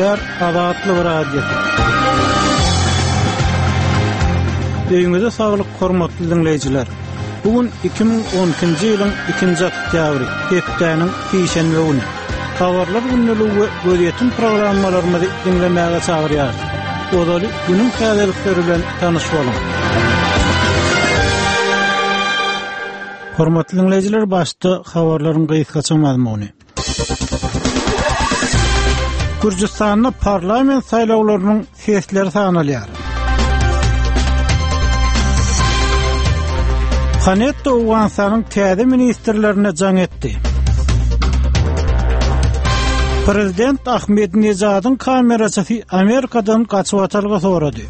Gepleýär Azatlyk Radiosy. Öýüňize saglyk hormatly diňleýjiler. Bu gün 2012-nji ýylyň 2-nji oktýabry, hepdäniň sişenbe güni. Habarlar gündeligi we gözýetim programmalarymyzy diňlemäge çagyrýarys. Ozaly günüň täzelikleri bilen tanyş boluň. Hormatly diňleýjiler, başda habarlaryň gysgaça mazmuny. Gürjüstanda parlament saýlawlarynyň sesleri sanalýar. Panetta Owganystanyň täze ministrlerine jaň etdi. Prezident Ahmedinejadyň kameraçysy Amerikadan gaçybatalga sorady.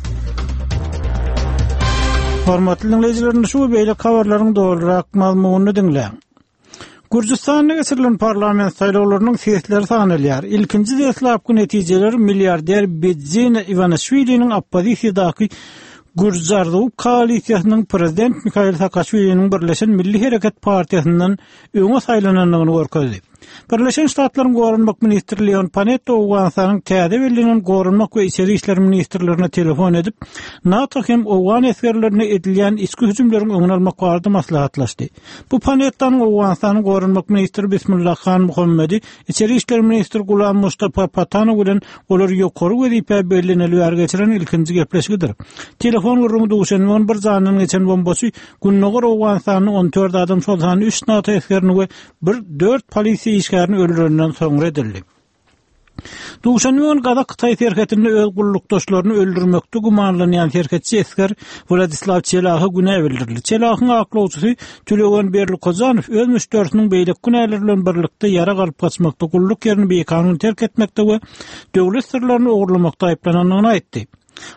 Hormatly diňleýjiler, indi şu we beýleki habarlaryň dolurak mazmunyny diňläň. Gürjüstanda geçirilen parlament saýlawlarynyň sesleri sanalýar. Ilkinji deslapky netijeler milliarder Bidzina Iwanişwiliniň oppozisiýadaky Gürji arzuwy koalisiýasynyň prezident Mihail Saakaşwiliniň Birleşen Milli Hereket partiýasyndan öňe saýlanandygyny görkezdi. Birleşen Ştatlaryň Goranmak ministri Leon Panetta Owganystanyň täze bellenen Goranmak we Içeri işler ministrlerine telefon edip, NATO hem owgan esgerlerine edilýän içki hüjümleriň öňüni almak barada maslahatlaşdy. Bu Panettanyň Owganystanyň Goranmak ministri Bismillah Han Muhammedi, Içeri işler ministri Gulam Mustapa Patanow bilen olar ýokary wezipä belleneli bäri geçiren ilkinji gepleşigidir. Telefon gürrüňi duşenbe güni bir jandan geçen bombaçy Gündogar Owganystanda 14 adam, şol sanda üç NATO esgerini we bir dört polisiýa işgärini öldürenden soňra edildi. Duşenbe güni gazak-hytaý serhetinde öz gullukdaşlaryny öldürmekde gümanlanýan serhetçi esger Wladislaw Çelaha günä bildirildi. Çelahyň aklawçysy Tülegen Berlikojanow öz müşderisiniň beýleki günäler bilen birlikde ýarag alyp gaçmakda, gulluk ýerini bikanun terk etmekde we döwlet syrlaryny ogurlamakda aýyplanandygyny aýtdy.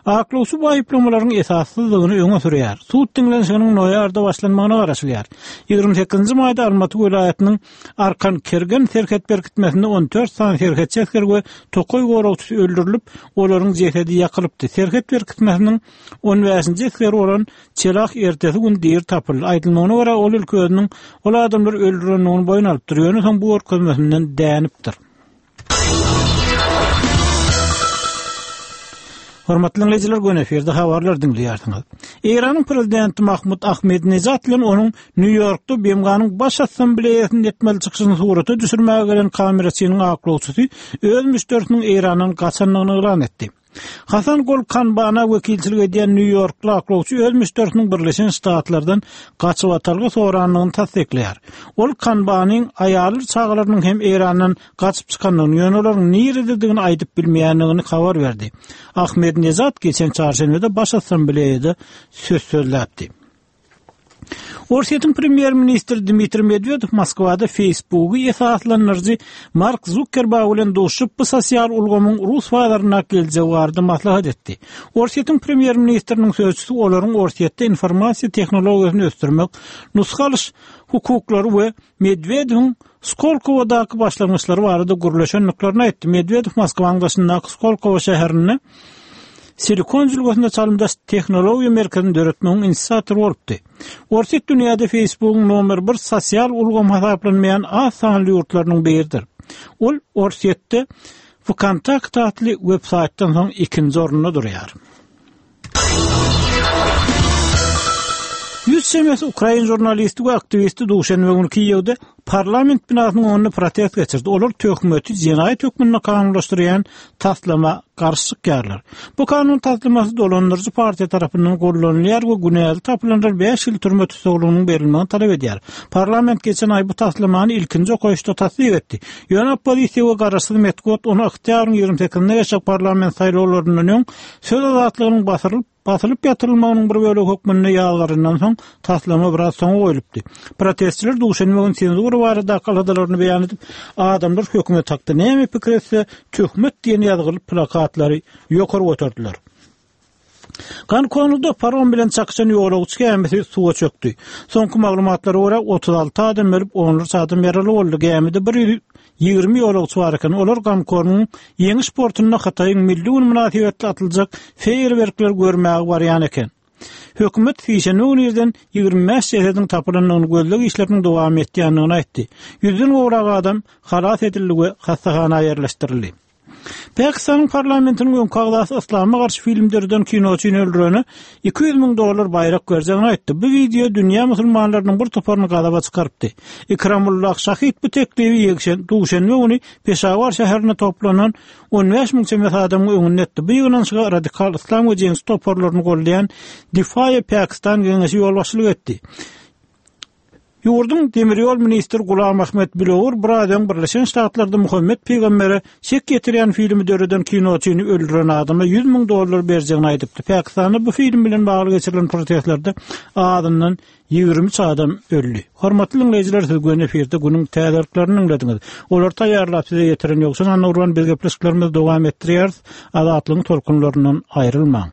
Aklawçy bu aýyplamalaryň esassyzdygyny öňe sürýär. Sud diňlenişiginiň noýabrda başlanmagyna garaşylýar. 28 nji maýda Almaty welaýatynyň Arkan-Kergen serhet berkitmesinde 14 sany serhetçi esger we tokaý goragçysy öldürilip, olaryň jesedi ýakylypdy. Serhet berkitmesiniň on bäşinji esgeri bolan Çelah ertesi gün diri tapyldy. Aýdylmagyna görä, ol ilki özüniň ol adamlary öldürendigini boýun alypdyr, ýöne soň bu görkezmesinden dänipdir. Hormatly diňleýjiler, göni efirde habarlar diňleýärsiňiz. Eýranyň prezidenti Mahmud Ahmedinejad bilen onuň Nýu-Ýorkda BMG-niň Baş Assambleýasynda etmeli çykyşyny surata düşürmäge gelen kameraçynyň aklawçysy öz müşderisiniň Eýrandan gaçandygyny yglan etdi. Hasan Gol Kanbana wekilçilik edýän nýu-ýorkly aklawçy öz müşderisiniň Birleşen Ştatlardan gaçybatalga sorandygyny tassyklaýar. Ol Kanbanyň aýalydyr çagalarynyň hem Eýrandan gaçyp çykandygyny, ýöne olaryň nirededigini aýdyp bilmeýändigini habar berdi. Ahmedinejad geçen çarşenbede Baş Assambleýada söz sözläpdi. Orsýetiň premýer-ministri Dmitriý Medwedew Moskwada Facebooky esaslandyryjy Mark Zuckerberg bilen duşuşyp, bu sosial ulgamyň rus bazaryndaky geljegi barada maslahat etdi. Orsýetiň premýer-ministriniň sözçüsi olaryň Orsýetde informasiýa tehnologiýasyny ösdürmek, nusga alyş hukuklary we Medwedewiň Skolkowadaky başlangyçlary barada gürleşendiklerini aýtdy. Medwedew Moskwanyň daşyndaky Skolkowo şäherinde Silikon jülgesinde çalymdaş tehnologiýa merkezini döretmegiň inisiatory bolupdy. Orsýet dünýäde Facebookyň nomer bir sosial ulgam hasaplanmaýan az sanly ýurtlarynyň biridir. Ol Orsýetde VKontakte atly web-saýtdan soň ikinji orunda durýar. Ýüz çemesi ukrain žurnalisti we aktiwisti duşenbe güni Kiýewde parlament binasynyň öňünde protest geçirdi. Olar töhmeti jenaýat hökmünde kanunlaşdyrýan taslama garşy çykýarlar. Bu kanun taslamasy dolandyryjy partiýa tarapyndan gollanylýar we günäli tapylanlar bäş ýyl türme tussaglygynyň berilmegini talap edýär. Parlament geçen aý bu taslamany ilkinji okaýyşda tassyk etdi. Ýöne oppozisiýa we garaşsyz metbugat ony oktýabryň 28-nde geçjek parlament saýlawlaryndan öň Söz azatlygynyň basyrylyp, basylyp ýatyrylmagynyň bir bölegi hökmünde ýazgaryndan soň, taslama biraz soňa goýlupdy. Protestçiler duşenbe güni senzura baradaky aladalaryny beýan edip, adamlar hökümet hakda näme pikir etse, töhmet diýen ýazgyly plakatlary ýokary göterdiler. Gonkongda parom bilen çakyşan ýolagçy gämisi suwa çökdi. Soňky maglumatlara görä, 36 adam ölüp, onlarça adam ýaraly boldy. Gämide 120 ýolagçy bar eken. Olar Gonkongyň Ýeňiş portunda Hytaýyň Milli güni mynasybetli atyljak feýerwerkleri görmäge barýan eken. Hökümet sişenbe güni irden 25 jesediň tapylandygyny, gözleg işleriniň dowam etýändigini aýtdy. Ýüzden gowrak adam halas edildi we hassahana ýerleşdirildi. Pakistanyň parlamentiniň öňki agzasy yslama garşy film döreden kinoçyny öldürene 200 müň dollar baýrak berjegini aýtdy. Bu wideo dünýä musulmanlarynyň bir toparyny gazaba çykarypdy. Ikramullah Şahid bu teklibi ýekşen, duşenbe güni Peşawar şäherinde toplanan 15 müň çemesi adamyň öňünde etdi. Bu ýygnanyşyga radikal yslam we jeňçi toparlaryny goldaýan Difaýe Pakistan geňeşi ýolbaşçylyk etdi. Ýurduň demir ýol ministri Gulam Ahmet Bilowur biraz öň Birleşen Ştatlarda Muhammet pygambere şek ýetirýän filmi döreden kinoçyny öldüren adama 100 müň dollar berjegini aýdypdy. Pakistanda bu film bilen bagly geçirilen protestlerde azyndan 23 adam öldi. Hormatly diňleýjiler, siz göni efirde günüň täzeliklerini diňlediňiz. Olary taýýarlap size ýetiren Ýowşan Annagurban biz gepleşiklerimizi dowam etdirýäris. Azatlygyň tolkunlaryndan aýrylmaň.